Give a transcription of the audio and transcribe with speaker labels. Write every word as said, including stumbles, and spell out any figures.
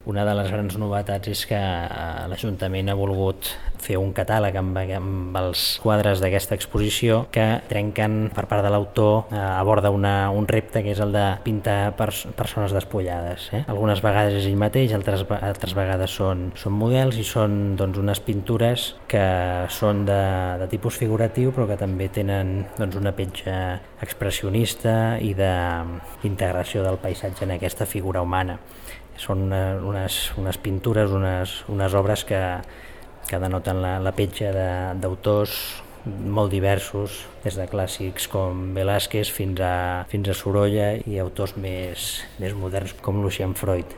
Speaker 1: Una de les grans novetats és que l'Ajuntament ha volgut fer un catàleg amb, amb els quadres d'aquesta exposició que trenquen per part de l'autor, eh, aborda una, un repte que és el de pintar pers persones despullades. Eh? Algunes vegades és ell mateix, altres, altres vegades són, són models i són doncs, unes pintures que són de, de tipus figuratiu però que també tenen doncs, una petja expressionista i d'integració de, del paisatge en aquesta figura humana. Són unes, unes pintures, unes, unes obres que, que denoten la, la petja d'autors molt diversos, des de clàssics com Velázquez fins a, fins a Sorolla i autors més, més moderns com Lucian Freud.